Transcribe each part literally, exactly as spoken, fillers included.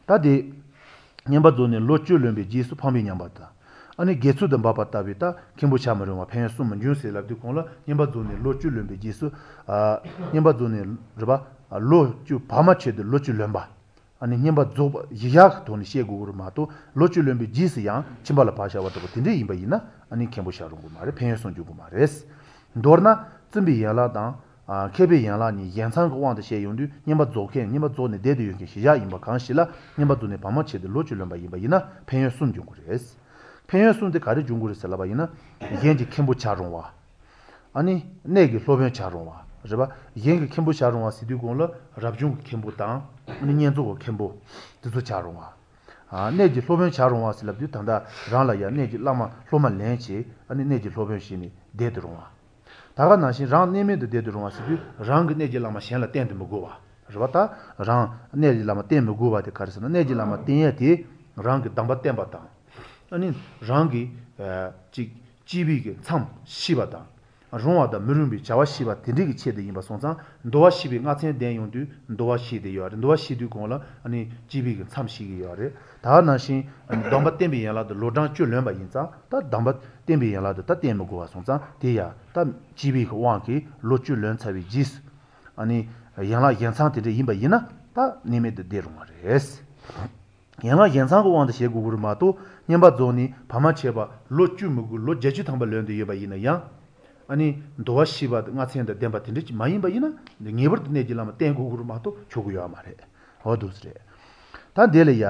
ད་དེ། བསྙེན་པར་རྫོགས་ནས་ལོ་བཅུ་ལོན་པའི་རྗེས་སུ་ཕམ་པའི་ཉམས་པ་དང། ཨ་ནི་དགེ་ཚུལ་དུ་འབབ་པ་ལྟ་བུའི་ད་མཁན་པོ་བྱ་མི་རུང་བ་ཕན་ཡོན་གསུམ་མི་འབྱུང་ཟེར་ལབ་དུས་གོང་ལ་བསྙེན་པར་རྫོགས་ནས་ལོ་བཅུ་ལོན་པའི་རྗེས་སུ། བསྙེན་པར་རྫོགས་ནས་རེད་པ། ལོ་བཅུ་བར་མ་ཆད་དུ་ལོ་བཅུ་ལོན་པ། ཨ་ནི་བསྙེན་པར་རྫོགས་པ་གཞི་བཞག་གི་ཐོག་ནས་བཤད་དགོས་ཀྱི་མ་གཏོགས་ལོ་བཅུ་ལོན་པའི་རྗེས་སུ་ཡང་ཁྱིམ་པ་ལ་བག་བྱ་བ་ལྟ་བུ་དེ་འདྲ་ཡིན་པ་ཡིན་ན་ཨ་ནི་མཁན་པོ་བྱ་རུང་གི་མ་རེད་ཕན་ཡོན་གསུམ་འབྱུང་གི་མ་རེད། མདོར་ན་བཙུན་པའི་ཡན་ལག་དང། མཁས་པའི་ཡན་ལག་གཉིས་གཞན་ཚང་གི་དབང་དུ་བྱས་ཡོང་དུས་བསྙེན་པར་རྫོགས་མཁན་བསྙེན་པར་རྫོགས་ནས་བསྡད་དུ་ཡོད་མཁན་གཞི་བཞག་ཡིན་པ་གང་ཞིག་ལ་བསྙེན་པར་རྫོགས་ནས་བར་མ་ཆད་དུ་ལོ་བཅུ་ལོན་པ་ཡིན་པ་ཡིན་ན་ཕན་ཡོན་གསུམ་འབྱུང་གི་རེད། ཕན་ཡོན་གསུམ་དེ་ག་རེ་འབྱུང་གི་རེད་ཟེར་ལབ་པ་ཡིན་ན། གཞན་གྱི་མཁན་པོ་བྱ་རུང་བ། ཨ་ནི། གནས་ཀྱི་སློབ་དཔོན་བྱ་རུང་བ། རེད་པ། གཞན་གྱི་མཁན་པོ་བྱ་རུང་བ་ཟེར་དུས་གོང་ལ་རབ་བྱུང་གི་མཁན་པོ་དང། ཨ་ནི་བསྙེན་རྫོགས་ཀྱི་མཁན་པོ། དེ་ཚོ་བྱ་རུང་བ། གནས་ཀྱི་སློབ་དཔོན་བྱ་རུང་བ་ཟེར་ལབ་དུས་ད་ལྟ་རང་ལ་ཡང་གནས་ཀྱི་བླ་མ་སློབ་མ་ལེན་བྱས་ཨ་ནི་གནས་ཀྱི་སློབ་དཔོན་བྱས་ནས་བསྡད་དུ་རུང་བ། ད་ག་ནང་བཞིན་རང་གནས་མེད་དུ་བསྡད་དུ་རུང་བ་ཟེར་དུས་རང་གི་གནས་ཀྱི་བླ་མ་གཞན་ལ་བསྟེན་དུ་མི་དགོས་པ། རེད་པ་ད། རང་གནས་ཀྱི་བླ་མ་བསྟེན་མི་དགོས་པ་དེ་ག་རེ་ཟེར་ན་གནས་ཀྱི་བླ་མ་བསྟེན་ཡས་དེ་རང་གི་གདམས་པ་བསྟན་པ་དང། ཨ་ནི་རང་གི། ཅིག། བཅས་པའི་གི་མཚམས་ཤེས་པ་དང། རུང་བ་དང་མི་རུང་བའི་བྱ་བ་ཤེས་པ་དེ་འདྲའི་གི་ཆེད་དུ་ཡིན་པ་སོང་ཙང་འདུལ་བ་ཤེས་པའི་ལྔ་ཚན་ལྡན་ཡོང་དུས་འདུལ་བ་ཤེས་དེ་ཡོད་རེད་འདུལ་བ་ཤེས་དུས་གོང་ལ་ཨ་ནི་བཅས་པའི་གི་མཚམས་ཤེས་ཀྱི་ཡོད་རེད་ད་ག་ནང་བཞིན་སྡོམ་པ་བསྟེན་པའི་ཡན་ལག་ཏུ་ལོ་གྲངས་བཅུ་ལོན་པ་ཡིན་ཙང་ད་སྡོམ་པ་བསྟེན་པའི་ཡན་ལག་ཏུ་ད་བསྟེན་མི་དགོས་པ་སོང་ཙང་དེ་ཡ་ད་བཅས་པའི་གི་དབང་གིས་ལོ་བཅུ་ལོན་ཚར་བའི་རྗེས་སུ་ཡན་ལག་གཞན་ཚང་དེ་འདྲ་ཡིན་པ་ཡིན་ན་ད་གནས་མེད་དུ་བསྡད་རུང་བ་རེད། ཡན་ལག་གཞན་ཚང་གི་དབང་དུ་བྱེད་དགོས་ཀྱི་རེད་མ་གཏོགས་བསྙེན་པ་རྫོགས་ནས་བར་མ་ཆད་པར་ལོ་བཅུ་མི་དགོས་ལོ་བརྒྱད་ཅུ་ཐམ་པ་ལོན་དུ་ཡོད་པ་ཡིན་ན་ཡང། ཨ་ནི་འདུལ་བ་ཤེས་པ་ལྔ་ཚན་དང་ལྡན་པ་དེ་འདྲ་ཅིག་མ་ཡིན་པ་ཡིན་ན་ངེས་པར་དུ་གནས་ཀྱི་བླ་མ་བསྟེན་དགོས་ཀྱི་རེད་མ་གཏོགས་ཆོག་གི་ཡོད་མ་རེད། འོ་འདུག་སེ་རེད། ད་འདི་ལ་ཡ།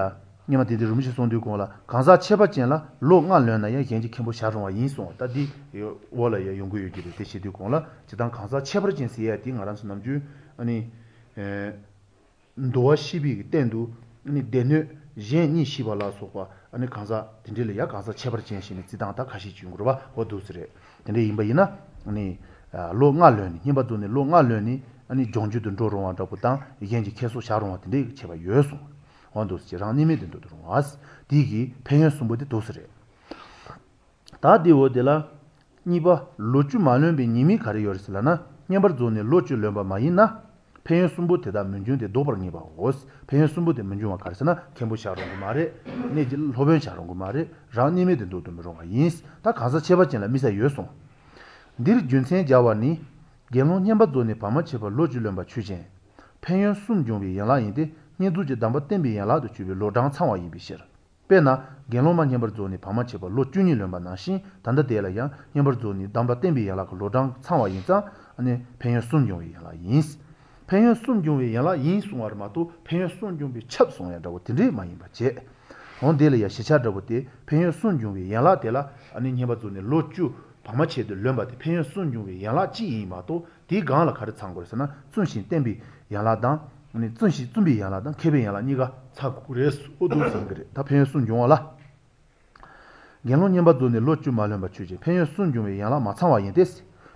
སྔོན་མ་དེ་དེ་རིན་པོ་ཆེས་གསུང་དུས་གོང་ལ་གང་ཟག་ཁྱད་པར་ཅན་ལ་ལོ་ལྔ་ལོན་ན་ཡང་གཞན་གྱི་མཁན་པོ་བྱ་རུང་བ་ཡིན་གསུང་བ་ད་འདི་འོག་ལ་ཡང་ཡོང་གི་ཡོད་ཀྱི་རེད་དེ་བྱེད་དུས་གོང་ལ་ཇི་ལྟར་གང་ཟག་ཁྱད་པར་ཅན་ཟེར་ཡ་དེ་ང་རང་ཚོ་ནམ་རྒྱུན་ཨ་ནི། འདུལ་བ་ཤེས་པའི་སྟེང་དུ་སྡེ་སྣོད་གཞན་གཉིས་ཤེས་པ་ལ་སོགས་པ་གང་ཟག་དེ་འདྲ་ལ་ཡང་གང་ཟག་ཁྱད་པར་ཅན་ཞེས་ནི་བརྩི་སྟངས་ད་ཁ་ཤས་ཅིག་ཡོང་གི་རེད་པ་འོ་འདུག་སེ་རེད། དེ་འདྲ་ཡིན་པ་ཡིན་ན། ལོ་ལྔ་ལོན་ནས་བསྙེན་པ་རྫོགས་ནས་ལོ་ལྔ་ལོན་ནས་ལྗོངས་རྒྱུ་དུ་འགྲོ་རུང་བ་འདྲ་པོ་དང་གཞན་གྱི་མཁན་སོགས་བྱ་རུང་བ་དེ་འདྲའི་ཁྱད་པར་ཡོད་གསུངས། འོ་འདུག་སེ་རང་གནས་མེད་དུ་འདུག་ཏུ་རུང་བ། དེ་གི་ཕན་ཡོན་གསུམ་པོ་དེ་འདུག་སེ་རེད། ད་དེ་འོ་དེ་ལ། གཉིས་པ། ལོ་བཅུ་མ་ལོན་པའི་ཉེས་དམིགས་ག་རེ་ཡོད་རེད་ཟེར་ལབ་ན་བསྙེན་པར་རྫོགས་ནས་ལོ་བཅུ་ལོན་པ་མ་ཡིན་ན། ཕན་ཡོན་གསུམ་པོ་དེ་དག་མི་འབྱུང་སྟེ་ལྡོག་པར་ངེས་པའོ། ཕན་ཡོན་གསུམ་པོ་དེ་མི་འབྱུང་བ་ག་རེ་ཟེར་ན་མཁན་པོ་བྱ་རུང་གི་མ་རེད། གནས་ཀྱི་སློབ་དཔོན་བྱ་རུང་གི་མ་རེད་རང་གནས་མེད་དུ་འདུག་ཏུ་མི་རུང་བ་ཡིན། ད་གང་ཟག་ཁྱད་པར་ཅན་ལ་དམིགས་བསལ་ཡོད་གསུངས། འདིར་རྒྱུ་མཚན་སྦྱར་བ་ནི། དགེ་སློང་བསྙེན་པར་རྫོགས་ནས་བར་མ་ཆད་པར་ལོ་བཅུ་ལོན་པ་ཆོས་ཅན། ཕན་ཡོན་གསུམ་འབྱུང་བའི་ཡན་ལག་ཡིན་ཏེ་བསྙེན་རྫོགས་ཀྱི་སྡོམ་པ་བསྟེན་པའི་ཡན་ལག་ཏུ་གྱུར་པའི་ལོ་གྲངས་ཚང་བ་ཡིན་པའི་ཕྱིར། དཔེར་ན་དགེ་སློང་མ་བསྙེན་པར་རྫོགས་ནས་བར་མ་ཆད་པར་ལོ་བཅུ་གཉིས་ལོན་པ་ནང་བཞིན་ད་ལྟ་དེ་ལ་ཡང་བསྙེན་པར་རྫོགས་ནས་སྡོམ་པ་བསྟེན་པའི་ཡན་ལག་གི་ལོ་གྲངས་ཚང་བ་ཡིན་ཙང་ནི་ཕན་ཡོན་གསུམ་འབྱུང་བའི་ཡན་ལག་ཡིན། ཕན་ཡོན་གསུམ་འབྱུང་བའི་ཡན་ལག་ཡིན་གསུང་བ་མ་གཏོགས་ཕན་ཡོན་གསུམ་འབྱུང་བས་ཁྱབ་གསུང་ཡ་འདྲ་བོ་དེ་འདྲའི་མ་ཡིན་པ་བྱས། འོ་དེ་ལ་ཡང་ཞིབ་ཆ་འདྲ་བོ་དེ་ཕན་ཡོན་གསུམ་འབྱུང་བའི་ཡན་ལག་དེ་ལ་ནི་བསྙེན་པར་རྫོགས་ནས་ལོ་བཅུ་བར་མ་ཆད་དུ་ལོན་པ་དེ་ཕན་ཡོན་གསུམ་འབྱུང་བའི་ཡན་ལག་གཅིག་ཡིན་མ་གཏོགས་དེའི་སྒང་ལ་ག་རེ་ཚང་དགོས་རེད་ཟེར་ན་བཙུན་ཞིང་བརྟན་པའི་ཡན་ལག་དང། བཙུན་ཞིང་བཙུན་པའི་ཡན་ལག་དང་མཁས་པའི་ཡན་ལག་གཉིས་ཀ་ཚང་དགོས་རེད་ཨོ་འདུག་ཟེར་གྱི་རེད་ད་ཕན་ཡོན་གསུམ་འབྱུང་བ་ལ། དགེ་སློང་བསྙེན་པར་རྫོགས་ནས་ལོ་བཅུ་མ་ལོན་པ་ཆོས་ཅན་ཕན་ཡོན་གསུམ་འབྱུང་བའི་ཡན་ལག་མ་ཚང་བ་ཡིན་ཏེ།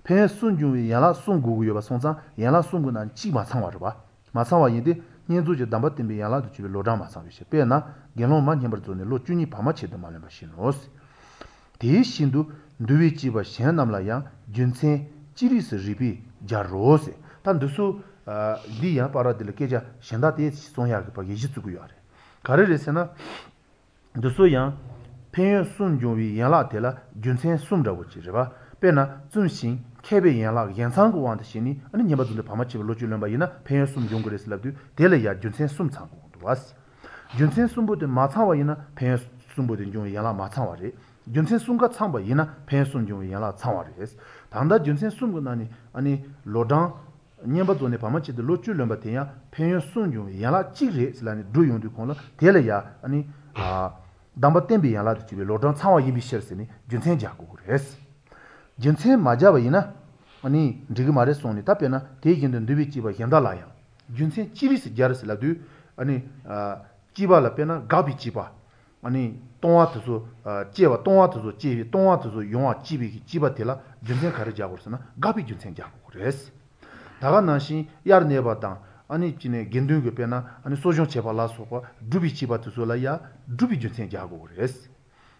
ཕན་ཡོན་གསུམ་འབྱུང་བའི་ཡན་ལག་གསུམ་དགོས་ཀྱི་ཡོད་པ་སོང་ཙང་ཡན་ལག་གསུམ་གྱི་ནང་གཅིག་མ་ཚང་བ་རེད་པ། མ་ཚང་བ་ཡིན་ཏེ། བསྙེན་རྫོགས་ཀྱི་སྡོམ་པ་བསྟེན་པའི་ཡན་ལག་ཏུ་གྱུར་པའི་ལོ་གྲངས་མ་ཚང་བའི་ཕྱིར་དཔེར་ན་དགེ་སློང་མ་བསྙེན་པར་རྫོགས་ནས་ལོ་བཅུ་གཉིས་བར་མ་ཆད་དུ་མ་ལོན་པ་བཞིན་ནོ། དེ་བཞིན་དུ་འདུལ་བའི་བཅས་པ་གཞན་རྣམས་ལ་ཡང་རྒྱུ་མཚན་ཅི་རིགས་སུ་རིགས་པས་སྦྱར་རོ། ད་འདི་སུ། འདི་ཡང་བར་འདི་ལ་སྐད་ཆ་གཞན་དག་དེ་གསུང་ཡག་གི་བར་གྱི་གཞི་བཙུགས་ཀྱི་ཡོད་རེད། ག་རེ་རེད་ཟེར་ན། འདི་སུ་ཡང། ཕན་ཡོན་གསུམ་འབྱུང་བའི་ཡན་ལག་དེ་ལ་རྒྱུ་མཚན་གསུམ་འདྲ་བོ་ཅིག་རེད་པ། དཔེར་ན་བཙུན་ཞིང་མཁས་པའི་ཡན་ལག་གཞན་ཚང་གི་དབང་དུ་བྱས་ནས་ཨ་ནི་བསྙེན་པར་རྫོགས་ནས་བར་མ་ཆད་པར་ལོ་བཅུ་ལོན་པ་ཡིན་ན་ཕན་ཡོན་གསུམ་འབྱུང་གི་རེད་ཟེར་ལབ་དུས་དེ་ལ་ཡང་རྒྱུ་མཚན་གསུམ་ཚང་དགོས་ཀྱི་འདུག་བ། རྒྱུ་མཚན་གསུམ་པོ་དེ་མ་ཚང་བ་ཡིན་ན་ཕན་ཡོན་གསུམ་པོ་དེ་འབྱུང་བའི་ཡན་ལག་མ་ཚང་བ་རེད། རྒྱུ་མཚན་གསུམ་ཀ་ཚང་བ་ཡིན་ན་ཕན་ཡོན་གསུམ་འབྱུང་བའི་ཡན་ལག་ཚང་བ་རེད། ད་ལྟ་རྒྱུ་མཚན་གསུམ་གྱི་ནང་ནས་ཨ་ནི་ལོ་གྲངས། བསྙེན་པར་རྫོགས་ནས་བར་མ་ཆད་དུ་ལོ་བཅུ་ལོན་པ་དེ་ཡང་ཕན་ཡོན་གསུམ་འབྱུང་བའི་ཡན་ལག་གཅིག་རེད་ཟེར་ལབ་ནས་སྒྲུབ་ཡོང་དུས་གོང་ལ་དེ་ལ་ཡ་ཨ་ནི། སྡོམ་པ་བསྟེན་པའི་ཡན་ལག་ཏུ་གྱུར་པའི་ལོ་གྲངས་ཚང་བ་ཡིན་པའི་ཕྱིར་ཟེར་ནས་རྒྱུ་མཚན་སྦྱར་དགོས་ཀྱི་རེད། རྒྱུ་མཚན་མ་སྦྱར་བ་ཡིན་ན། ཨ་ནི་འགྲིག་གི་མ་རེད་གསུངས་ནས་ད་དཔེར་ན་དེ་བཞིན་དུ་འདུལ་བའི་བཅས་པ་གཞན་དག་ལ་ཡང། རྒྱུ་མཚན་ཅི་རིགས་སུ་སྦྱར་ཟེར་ལབ་དུས། བཅས་པ་ལ་དཔེར་ན་དགག་པའི་བཅས་པ། ལྟུང་བ་དེ་ཚོ་བཅས་པ་ལྟུང་བ་དེ་ཚོ་བཅས་པའི་ལྟུང་བ་དེ་ཚོ་ཡོང་བ་བཅས་པའི་བཅས་པ་དེ་ལ་རྒྱུ་མཚན་ག་རེ་སྦྱར་དགོས་ཟེར་ན་དགག་པའི་རྒྱུ་མཚན་སྦྱར་དགོས་རེད། ད་ག་ནང་བཞིན་དབྱར་གནས་པ་དང། དགེ་འདུན་གྱི་དཔེར་ན་གསོ་སྦྱོང་བྱེད་པ་ལ་སོགས་པ་སྒྲུབ་པའི་བཅས་པ་དེ་ཚོ་ལ་ཡང་སྒྲུབ་པའི་རྒྱུ་མཚན་སྦྱར་དགོས་རེད།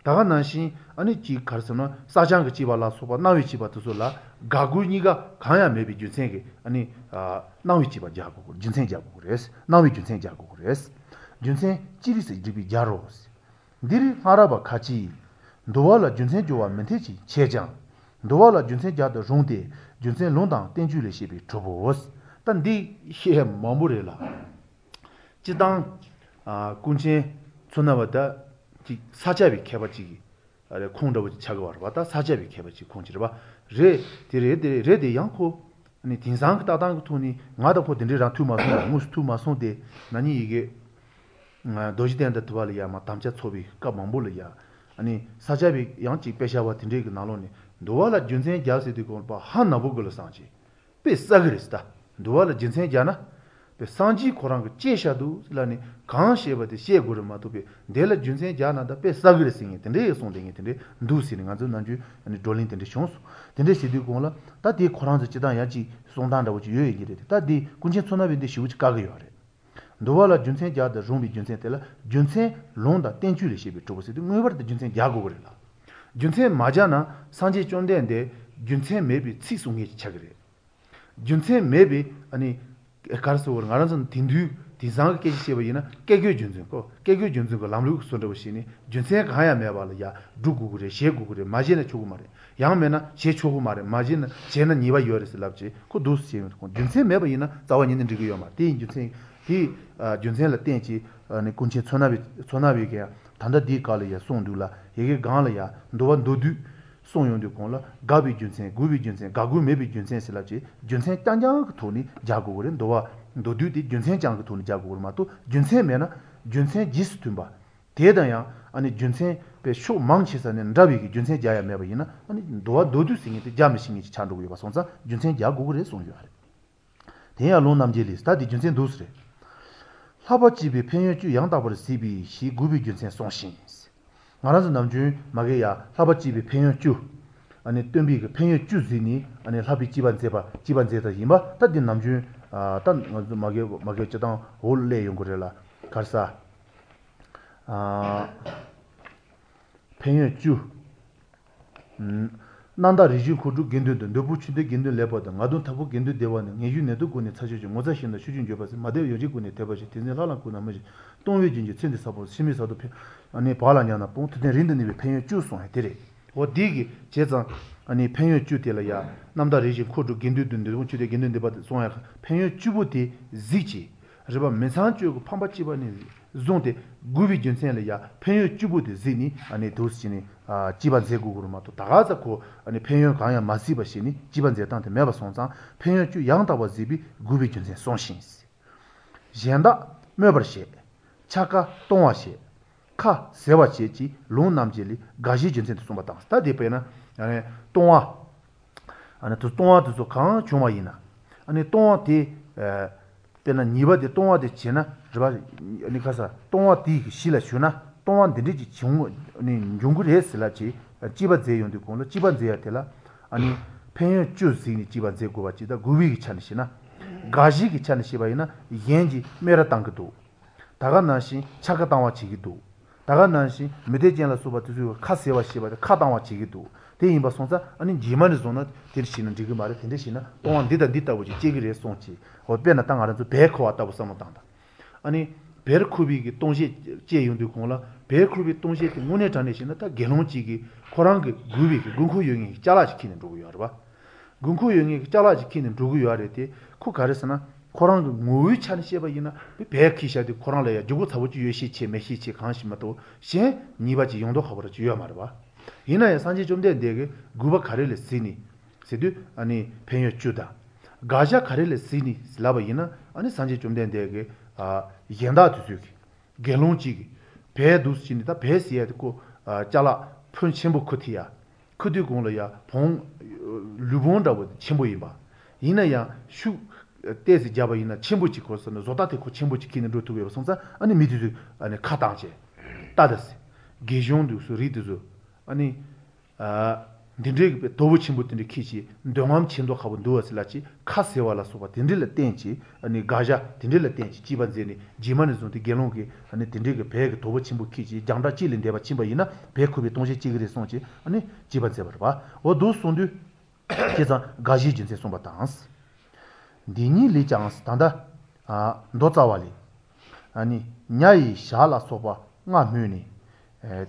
ད་ག་ནང་བཞིན་ཨ་ནི་གཅིག་ག་རེ་ཟེར་ན་སྲ་བརྐྱང་གི་བཅས་པ་ལ་སོགས་པ་གནང་བའི་བཅས་པ་དེ་ཚོ་ལ་དགག་དགོས་གཉིས་ཀ་གང་ཡང་མེད་པའི་རྒྱུ་མཚན་གྱིས་ཨ་ནི། གནང་བའི་བཅས་པ་སྦྱར་དགོས་རྒྱུ་མཚན་སྦྱར་དགོས་རེད། གནང་བའི་རྒྱུ་མཚན་སྦྱར་དགོས་རེད། རྒྱུ་མཚན་ཅི་རིགས་སུ་བསྒྲིགས་པས་སྦྱར་རོ། འདིར་སྔ་རབས་པ་ཁ་ཅིག། འདུལ་བ་ལ་རྒྱུ་མཚན་སྦྱོར་བ་མི་འཐད་ཅེས་འཆད་ཀྱང། འདུལ་བ་ལ་རྒྱུ་མཚན་སྦྱར་དུ་རུང་སྟེ་རྒྱུ་མཚན་ལུང་དང་བསྟན་བཅོས་ལས་བཤད་པས་གྲུབ་བོ། ད་འདི་བཤད་མང་པོ་རེད་ལ། སྤྱི་བཏང། ཀུན་མཁྱེན་མཚོ་སྣ་བ་ད་ཅིག་ས་སྐྱ་པའི་མཁས་པ་ཅིག་རེད་ཁོང་འདྲ་བོ་ཅིག་ཆགས་ཀྱི་བ་རེད་བ་ད་ས་སྐྱ་པའི་མཁས་པ་ཅིག་ཁོང་ཅིག་རེད་བ། རེད་དེ་རེད་དེ་རེད་དེ་ཡང་ཁོ། ནི་དེང་སང་གི་ལྟ་སྟངས་ཀྱི་ཐོག་ནས་ང་དང་ཁོ་དེ་འདྲའི་རང་ཐུག་མ་སོང་ལ་དངོས་སུ་ཐུག་མ་སོང་སྟེ་ན་ནིང་ཡི་གེ། རྡོ་རྗེ་གདན་དང་དུ་བ་ལ་ཡང་མ་དམ་བཅའ་ཚོགས་པའི་སྐབས་མང་པོ་ལ་ཡང། ནི་ས་སྐྱ་པའི་ཡང་ཅིག་དཔེ་ཆ་བ་དེ་འདྲའི་གི་ནང་ལོགས་ནས་འདུལ་བ་ལ་རྒྱུ་མཚན་རྒྱག་ཟེར་དུས་གོང་པ་ཧ་ནག་པོ་གི་ལ་སངས་ཅིག་དཔེ་བསགས་གི་རེད་ད། འདུལ་བ་ལ་རྒྱུ་མཚན་རྒྱག་ན། དཔེ་སངས་རྒྱས་ཁོ་རང་གི་ལྕེ་བཞག་འདུག་ཟེར་ལ་ནི་གང་བཤད་པ་དེ་བཤད་དགོས་རེད་མ་གཏོགས་པའི་འདི་ལ་རྒྱུ་མཚན་རྒྱག་ན་ད་དཔེ་བསགས་གི་རེད་ཟེར་ངེས་དེ་འདྲའི་གསུང་དེ་ངས་དེ་འདྲའི་འདུག་ཟེར་ནས་ང་ཚོའི་ནང་ཆོས་བགྲོ་གླེང་དེ་འདྲ་བྱུང་སོང། དེ་འདྲ་བྱེད་དུས་གོང་ལ་ད་དེ་ཁོ་རང་ཚོ་སྤྱི་བཏང་ཡ་གཅིག་གསུང་སྟངས་འདྲ་བོ་ཅིག་ཡོད་ཡོད་ཀྱི་རེད་དེ་ད་དེ་ཀུན་མཁྱེན་མཚོ་སྣ་བས་འདི་ཞེ་པོ་ཅིག་བཀག་གི་ཡོད་རེད། འདུལ་བ་ལ་རྒྱུ་མཚན་རྒྱག་ཏུ་རུང་བའི་རྒྱུ་མཚན་དེ་ལ་རྒྱུ་མཚན་ལུང་དང་བསྟན་བཅོས་ལས་བཤད་པས་གྲུབ་བོ་ཟེར་དུས་ངེས་པར་དུ་རྒྱུ་མཚན་རྒྱག་དགོས་ཀྱི་རེད་ལ། རྒྱུ་མཚན་མ་རྒྱག་ན་སངས་རྒྱས་བཅོམ་ལྡན་འདས་རྒྱུ་མཚན་མེད་པའི་ཚིག་གསུང་མཁན་ཅིག་ཆགས་ཀྱི་རེད། རྒྱུ་མཚན་མེད་པའི་ཨ་ནི། ག་རེ་ཟེར་བར་ང་རང་ཚོ་དེང་དུས་དེང་སང་གི་སྐད་ཆ་བཤད་པ་ཡིན་ན་བཀས་བཀོད་རྒྱུད་འཛིན་གོ་བཀས་བཀོད་རྒྱུད་འཛིན་གྱི་ལམ་ལུགས་བཟོ་འདྲ་བོ་ཞིག་ནི་རྒྱུ་མཚན་གང་ཡང་མེད་པ་ལ་ཡ་སྒྲུབ་དགོས་ཀྱི་རེད་བྱེད་དགོས་ཀྱི་རེད་མ་བྱས་ན་ཆོག་གི་མ་རེད་ཡང་མེད་ན་བྱེད་ཆོག་གི་མ་རེད་མ་བྱས་ན་བྱས་ན་ཉེས་པ་ཡོད་རེད་ཟེར་ལབ་བྱས་ཁོ་འདུག་སེ་བྱས་ཡོང་དུས་རྒྱུ་མཚན་མེད་པ་ཡིན་ན་རྩ་བ་ཉིད་ནས་འགྲིག་གི་ཡོད་མ་རེད་དེ་ཡིན་རྒྱུ་མཚན་དེ་རྒྱུ་མཚན་ལ་བརྟེན་བྱས་ནས་ཀུན་མཁྱེན་མཚོ་སྣ་བས་མཚོ་སྣ་བས་ཀྱང་ད་ལྟ་འདིའི་སྐབས་ལ་ཡ་གསུངས་འདུག་ལ་ཡི་གེ་སྒང་ལ་ཡ་འདུལ་བ་མདོ་བསྡུས། གསུངས་ཡོང་དུས་གོང་ལ་དགག་པའི་རྒྱུ་མཚན་དགོས་པའི་རྒྱུ་མཚན་དགག་དགོས་མེད་པའི་རྒྱུ་མཚན་ཟེར་ལབ་བྱས་རྒྱུ་མཚན་རྐྱང་རྐྱང་གི་ཐོག་ནས་རྒྱག་དགོས་ཀྱི་རེད་འདུལ་བ་མདོ་བསྡུས་དེ་རྒྱུ་མཚན་རྐྱང་གི་ཐོག་ནས་རྒྱག་དགོས་ཀྱི་རེད་མ་གཏོགས་རྒྱུ་མཚན་མེད་ན་རྒྱུ་མཚན་རྗེས་སུ་མཐུན་པ། དེ་དང་ཡང་ཨ་ནི་རྒྱུ་མཚན་པའི་ཕྱོགས་མང་ཆེ་ས་ནས་འདྲ་བའི་གི་རྒྱུ་མཚན་རྒྱག་ཡ་མེད་པ་ཡིན་ན་ཨ་ནི་འདུལ་བ་མདོ་བསྡུས་ཟེར་མཁན་དེ་རྒྱག་མི་ཤེས་མཁན་ཅིག་ཆགས་འགྲོ་གི་ཡོད་པ་སོང་ཙང་རྒྱུ་མཚན་རྒྱག་དགོས་ཀྱི་རེད་གསུངས་ཡོད་རེད། དེ་ཡང་ལུང་རྣམ་འབྱེད་ལས་ད་དེ་རྒྱུ་མཚན་འདུག་ཟེར། བསླབ་པ་སྤྱད་པའི་ཕན་ཡོན་བཅུ་ཡང་དག་པར་གཟིགས་པས་ཞེས་དགོས་པའི་རྒྱུ་མཚན་གསུངས་ཤིང། ང་རང་ཚོ་ནམ་རྒྱུན་མ་གི་ཡ་བསླབ་པ་སྤྱད་པའི་ཕན་ཡོན་བཅུ། སྟོན་པའི་གི་ཕན་ཡོན་བཅུ་གཟིགས་ནས་བསླབ་པའི་བཅས་པ་མཛད་པ་བཅས་པ་མཛད་ད་ཡིན་པ་ད་འདི་ནམ་རྒྱུན་ད་ང་ཚོ་མ་གི་མ་གི་སྤྱི་དང་འོ་ལས་ཡོང་གི་རེད་ལ་ག་རེ་ཟ། ཕན་ཡོན་བཅུ། རྣམ་དག་རིགས་བཞི་འཁོར་དྲུག་དགེ་འདུན་འདུ་འདོད་ཕུང་ཆོས་ལྡན་དགེ་འདུན་ལེགས་པར་འདུ་ངག་དུམ་མཐའ་བུ་དགེ་འདུན་བདེ་བ་ནི་ངན་གཡོའི་ནད་དུ་ཀུན་ནས་ཚར་གཅོད་ཅིང་ངོ་ཚ་ཤེས་དང་ཤུགས་འབྱུང་འགྱོད་པ་སེལ་མ་དད་ཡོ་བྱད་ཀུན་ནས་དད་པར་བྱེད་དེ་འཛིན་ལྷ་ལམ་ཀུན་ན་མི་ཞིག་གཏོང་བའི་རྒྱུན་གྱིས་ཚེ་འདི་ས་ཕོར་ཕྱི་མའི་ས་རྡོ་འཕེལ། བག་ལ་ཉལ་ན་སྤོང་ཐུབ་བསྟན་རིང་དུ་གནས་པའི་ཕན་ཡོན་བཅུ་གསུངས་ཡ་དེ་རེད། འོ་དེ་གི་བྱས་ཙང། ཕན་ཡོན་བཅུ་དེ་ལ་ཡ། རྣམ་དག་རིགས་བཞི་འཁོར་དྲུག་དགེ་འདུན་འདུ་འདོད་ཕུང་ཆོས་ལྡན་དགེ་འདུན་བདེ་བ་གསུངས་ཡ་ཕན་ཡོན་བཅུ་པོ་དེ་གཟིགས་ཀྱིས། རེད་པ་མི་ཚངས་སྤྱོད་ཀྱི་ཕམ་པ་བཅས་པ་ནས་བཟུང་སྟེ་དགོས་པའི་རྒྱུ་མཚན་ལ་ཡང་ཕན་ཡོན་བཅུ་པོ་དེ་གཟིགས་ནས་དུས་བྱས་ནས་བཅས་པ་མཛད་དགོས་ཀྱི་རེད་མ་གཏོགས་ད་ག་ཚ་ཁོ་ཕན་ཡོན་གང་ཡང་མ་གཟིགས་པ་ཞིག་ནི་བཅས་པ་མཛད་སྟངས་དེ་མེད་པ་སོང་ཙང་ཕན་ཡོན་བཅུ་ཡང་དག་པར་གཟིགས་པས་དགོས་པའི་རྒྱུ་མཚན་གསུངས་ཤིང། གཞན་དག་སྨོད་པར་བྱེད། འཕྱར་ཀ་གཏོང་བར་བྱེད། ཁ་ཟེར་བར་བྱེད་ཅེས་ལུང་རྣམ་འབྱེད་ལས་དགག་བྱའི་རྒྱུ་མཚན་དུ་གསུངས་པ་དང་ད་དེ་དཔེར་ན། ལྟུང་བ། ལྟུང་བ་དེ་ཚོ་གང་བྱུང་བ་ཡིན་ན། ལྟུང་བ་དེ། དཔེར་ན་ཉེས་པ་དེ་ལྟུང་བ་དེ་བྱས་ན་རེད་པ། ནི་ག་ས་ལྟུང་བ་དེའི་གཞི་ལ་ཞུགས་ན་ལྟུང་བ་འདི་འདྲས་ཅིག་བྱུང་འབྱུང་གི་རེད་ཟེར་ལབ་བྱས་བཅས་པ་མཛད་ཡོང་དུས་གོང་ལ་བཅས་པ་མཛད་ཡ་དེ་ལ། ཕན་ཡོན་བཅུ་གཟིགས་ནས་བཅས་པ་མཛད་དགོས་པ་ཅིག་དང་དགོས་པའི་གི་ཆ་ནས་བཤད་ན། དགག་བྱའི་གི་ཆ་ནས་བཤད་པ་ཡིན་ན་གཞན་གྱིས་སྨད་ར་བཏང་གི་འདུག། ད་ག་ནང་བཞིན་འཕྱར་ཀ་བཏང་བ་བྱེད་ཀྱི་འདུག། ད་ག་ནང་བཞིན་མུ་སྟེགས་ཅན་ལ་སོགས་པ་དེ་ཚོས་ཁ་ཟེར་བ་བྱེད་པ་དེ་ཁ་བཏང་བ་བྱེད་ཀྱི་འདུག་དེ་ཡིན་པ་སོང་ཙང་ཨ་ནི་རྗེས་མ་ནས་བཟུང་ན་དེ་འདྲ་བྱས་ན་འགྲིག་གི་མ་རེད་དེ་འདྲ་བྱས་ན་ལྟུང་བ་འདི་དང་འདི་ལྟ་བུ་ཞིག་སྐྱེ་གི་རེད་གསུངས་ཀྱི་འོ་དཔེར་ན་ད་ང་རང་ཚོ་བལ་འཁུར་བ་ལྟ་བུ་བསམ་བློ་བཏང་དང། ཨ་ནི་བལ་འཁུར་བའི་གི་ལྟུང་བྱེད་བཅས་ཡོང་དུས་གོང་ལ་བལ་འཁུར་བའི་ལྟུང་བྱེད་དེ་དངོས་གནས་དྲང་གནས་བྱས་ན་ད་དགེ་སློང་གཅིག་གིས་ཁོ་རང་གི་དགོས་པའི་གི་དགོས་མཁོ་ཡོད་མཁན་གྱི་ཅ་ལག་ཅིག་ཁྱེར་ནས་འགྲོ་གི་ཡོད་རེད་པ། དགོས་མཁོ་ཡོད་མཁན་གྱི་ཅ་ལག་ཅིག་ཁྱེར་ནས་འགྲོ་གི་ཡོད་རེད་དེ་ཁོ་ག་རེ་ཟེར་ན་ཁོ་རང་གི་ངོ་བོའི་ཆ་ནས་བཤད་པ་ཡིན་ན་བལ་འཁྱེར་བཞག་དེ་ཁོ་རང་ལ་ཡང་ལྗིད་ཁོག་ཚ་པོ་ཅིག་ཡོད་ཤས་ཆེ་མེད་ཤས་ཆེ་གང་ཞིག་མ་གཏོགས་གཞན་ཉེས་པ་ཅིག་ཡོང་མདོག་ཁ་པོ་ར་ཅིག་ཡོད་མ་རེད་པ། ཡིན་ན་ཡང་སངས་རྒྱས་བཅོམ་ལྡན་འདས་ཀྱིས་དགོས་པ་ག་རེ་ལ་གཟིགས་ནས་ཟེར་དུས་ཨ་ནི་ཕན་ཡོན་བཅུ་དང། དགག་བྱ་ག་རེ་ལ་གཟིགས་ནས་ལབ་པ་ཡིན་ན་ཨ་ནི་སངས་རྒྱས་བཅོམ་ལྡན་འདས་ཀྱིས་གཞན་དག་དུས་ཚོད་ཀྱི་དགེ་སློང་གཅིག་གིས་བལ་འདུག་ཟེར་ནས་ད་བལ་ཟེར་ཡ་དེ་ཁོ་ཅ་ལག་ཕོན་ཆེན་པོ་ཁུར་ཐུབ་ཡ། ཁུར་དུས་གོང་ལ་ཡ་བོང། ལུས་བོང་འདྲ་བོ་ཆེན་པོ་ཡིན་པ། ཡིན་ན་ཡང་ཤུགས། ཏོག་ཙམ་རྒྱབ་པ་ཡིན་ན་ཆེན་པོ་ཅིག་གོ་ཟེར་ན་བཟོ་ལྟ་དེ་ཁོ་ཆེན་པོ་ཅིག་ཁྱེར་ནས་འགྲོ་ཐུབ་ཡོད་པ་སོང་ཙང་ཨ་ནི་མི་དེ་ཚོས་ཨ་ནི་ཁ་བཏང་བྱས། ལྟ་ད་ཟེར། དགེ་སྦྱོང་དེ་ཚོ་རིགས་དེ་ཚོ། ཨ་ནི། འདི་འདྲའི་གི་དོ་པོ་ཆེན་པོ་དེ་འདྲ་ཁྱེར་བྱས་འདོད་རྔམ་ཆེ་མདོག་ཁ་པོ་འདུག་བ་ཟེར་ལབ་བྱས་ཁ་ཟེར་བ་ལ་སོགས་པ་དེ་འདྲ་ལ་བརྟེན་བྱས་ཨ་ནི་དགག་བྱ་དེ་འདྲ་ལ་བརྟེན་བྱས་བཅས་པ་མཛད་ནས་རྗེས་མ་ནས་བཟུང་སྟེ་དགེ་སློང་གིས་ཨ་ནི་དེ་འདྲའི་གི་བལ་གྱི་དོ་པོ་ཆེན་པོ་ཁྱེར་བྱས་རྒྱང་གྲགས་གཅིག་ལས་འདས་པ་ཕྱིན་པ་ཡིན་ན་བལ་འཁུར་བའི་ལྟུང་བྱེད་སྐྱེ་གི་རེད་གསུངས་བྱས་ཨ་ནི་བཅས་པ་མཛད་པ་རེད་པ་འོ་འདུག་གསུངས་དུས། བྱས་ཙང་དགག་བྱའི་རྒྱུ་མཚན་གསུངས་པ་དང། འདི་ཉིད་ལས་ཀྱང་ད་ལྟ། མདོ་རྩ་བ་ལས། ནི་ཉ་ཡི་ཞག་ལ་སོགས་པ་ལྔ་སྨོས་ནས།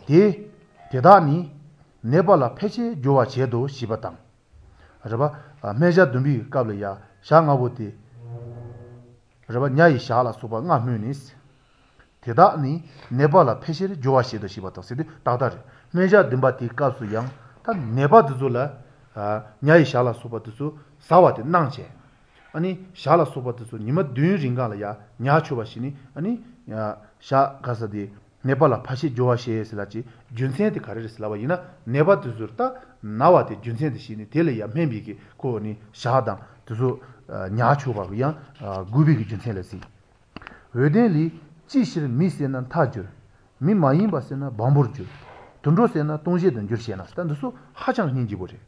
དེ་དེ་དག་ནི་ནད་པ་ལ་ཕལ་ཆེར་སྦྱོར་བར་བྱེད་དོ་ཞེས་པ་དང། རེད་པ། སྨན་ཞག་བདུན་པའི་སྐབས་ལ་ཡང་ཞག་ལྔ་པོ་དེ། རེད་པ། ཉ་ཡི་ཞག་ལ་སོགས་པ་ལྔ་སྨོས་ནས། དེ་དག་ནི་ནད་པ་ལ་ཕལ་ཆེར་སྦྱོར་བར་བྱེད་དོ་ཞེས་པ་དང་ཟེར་དུས་ཏག་ཏག་རེད། སྨན་ཞག་བདུན་པ་དེའི་སྐབས་སུ་ཡང་ད་ནད་པ་དེ་ཚོ་ལ། ཉ་ཡི་ཞག་ལ་སོགས་པ་དེ་ཚོ་ཟ་བ་དེ་གནང་བྱས། ཨ་ནི་ཞག་ལ་སོགས་པ་དེ་ཚོ་ཉི་མ་བདུན་རིང་གང་ལ་ཡང་ཉར་ཆོག་པ་ཞིག་ནི་ཨ་ནི། ཞག་ག་ས་དེ་ནད་པ་ལ་ཕལ་ཆེར་སྦྱོར་བར་བྱེད་ཟེར་ལ་ཅི་རྒྱུ་མཚན་དེ་ག་རེ་རེད་ཟེར་ལབ་པ་ཡིན་ན་ནད་པ་དེ་ཚོར་ད་ན་བ་དེ་རྒྱུ་མཚན་དེ་ཞིག་ནི་དེ་ལ་ཡང་སྨན་པའི་གི་ཁོ་ནི་ཞག་དང་དེ་ཚོ་ཉར་ཆོག་པ་གི་ཡང་དགོས་པའི་གི་རྒྱུ་མཚན་ལ་གཟིགས། འོད་ལྡན་ལས། ཅི་ཕྱིར་མི་བསད་ན་མཐའ་འགྱུར། མི་མ་ཡིན་པ་བསད་ན་བོང་བུར་འགྱུར། དུད་འགྲོ་བསད་ན་ལྟུང་བྱེད་དུ་འགྱུར་ཞེ་ན་ད་འདི་ཚོ་ཧ་ཅང་སྙིང་རྗེ་པོ་རེད།